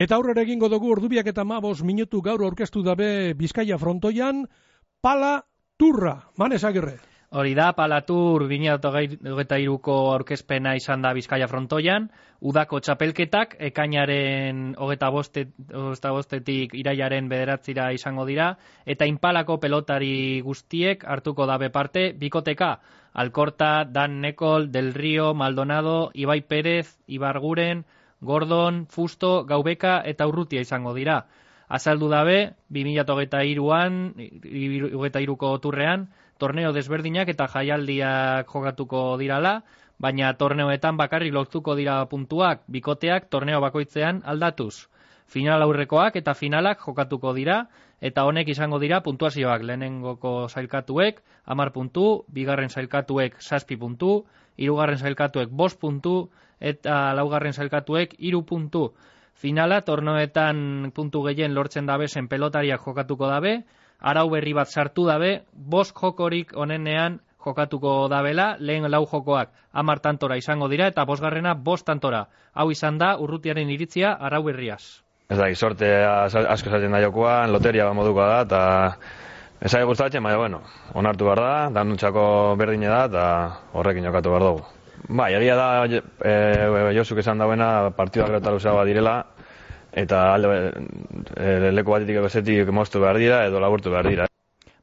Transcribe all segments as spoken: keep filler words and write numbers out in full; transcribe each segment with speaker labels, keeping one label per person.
Speaker 1: Eta aurrera egingo dugu ordubiak eta mabos minutu gaur aurkeztu dabe Bizkaia frontoian, Pala Turra, Manes Agirre.
Speaker 2: Hori da, Pala Tur bi mila hogeita hiruko aurkezpena izan da Bizkaia frontoian, udako txapelketak, ekainaren hogeita bostetik irailaren bederatzira izango dira, eta Inpalako pelotari guztiek hartuko dabe parte, bikoteka, Alkorta, Dan Nekol, Del Rio, Maldonado, Ibai Perez, Ibarguren, Gordon, Fusto, Gaubeka eta Urrutia izango dira. Azaldu dabe, bi mila hogeita hiruan, hogeita hiruko turrean, torneo desberdinak eta jaialdiak jokatuko dirala, baina torneoetan bakarrik lortuko dira puntuak, bikoteak torneo bakoitzean aldatuz. Final aurrekoak eta finalak jokatuko dira, eta honek izango dira puntuazioak lehenengoko sailkatuek, hamar puntu, bigarren sailkatuek zazpi puntu, hirugarren sailkatuek bost puntu, eta laugarren sailkatuek hiru puntu. Finala torneoetan puntu gehien lortzen dabezen pelotariak jokatuko dabe, arau berri bat sartu dabe, bost jokorik onenean jokatuko dabela, lehen lau jokoak hamar tantora izango dira, eta bosgarrena bost tantora. Hau izan da Urrutiaren iritzia arau berriaz.
Speaker 3: Ez da, sorte asko zaten da jokoan, loteria bat modukoa da, eta ez da gustatzen, baina, bueno, onartu behar da, danuntzako berdine da, eta horrekin jokatu behar dugu. Ba, egia da, e, Josuk esan dauena, partidua gero eta luzeagoa direla, eta alde e, leku batetik bezetik moztu behar dira, edo laburtu behar dira.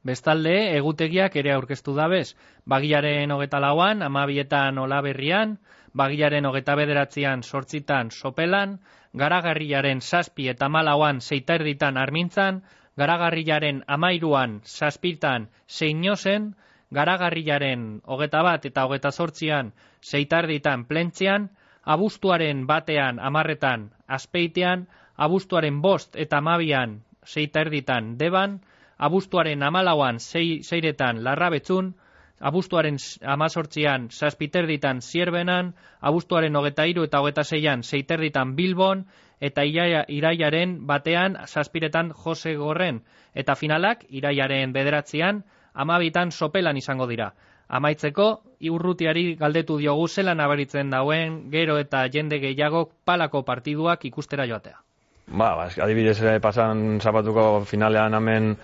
Speaker 2: Bestalde, egutegiak ere aurkeztu dabez, bagilaren hogeta lauan, amabietan Olaberrian, bagilaren hogeta bederatzean sortzitan Sopelan, garagarriaren zazpi eta malauan zeiterditan Armintzan, garagarriaren amairuan zazpitan Zeinozen, garagarriaren hogeta bat eta hogeta zortzian zeitarditan Plentzian, abuztuaren batean amarretan Azpeitean, abuztuaren bost eta amabian zeiterditan Deban, abuztuaren amalauan zeiretan Larrabetzun, abuztuaren amazortzian zazpiterditan Zierbenan, abuztuaren hogeta hiru eta hogeta seian zeiterditan Bilbon, eta irailaren batean zazpiretan Jose Gorren, eta finalak irailaren bederatzean amabitan Sopelan izango dira. Amaitzeko, Urrutiari galdetu diogu zelan nabaritzen dauen gero eta jende gehiagok Palako partiduak ikustera joatea.
Speaker 3: Ba, adibidez pasan zapatuko finalean hemen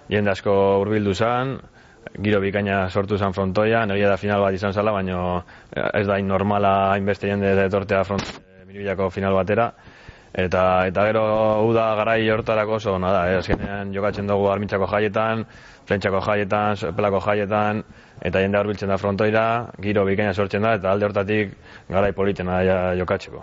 Speaker 3: jende asko hurbildu zen, giro bikaina sortu zen frontoian, egia da final bat izan zala, baina ez da normala hainbeste jende etortea frontoia Miribillako final batera. Eta, eta gero uda garai hortarako oso ona da, eh? Azkenean jokatzen dugu Armintzako jaietan, Plentzako jaietan, Pelako jaietan, eta jende hurbiltzen da frontoira, giro bikaina sortzen da, eta alde hortatik garai politena da jokatzeko.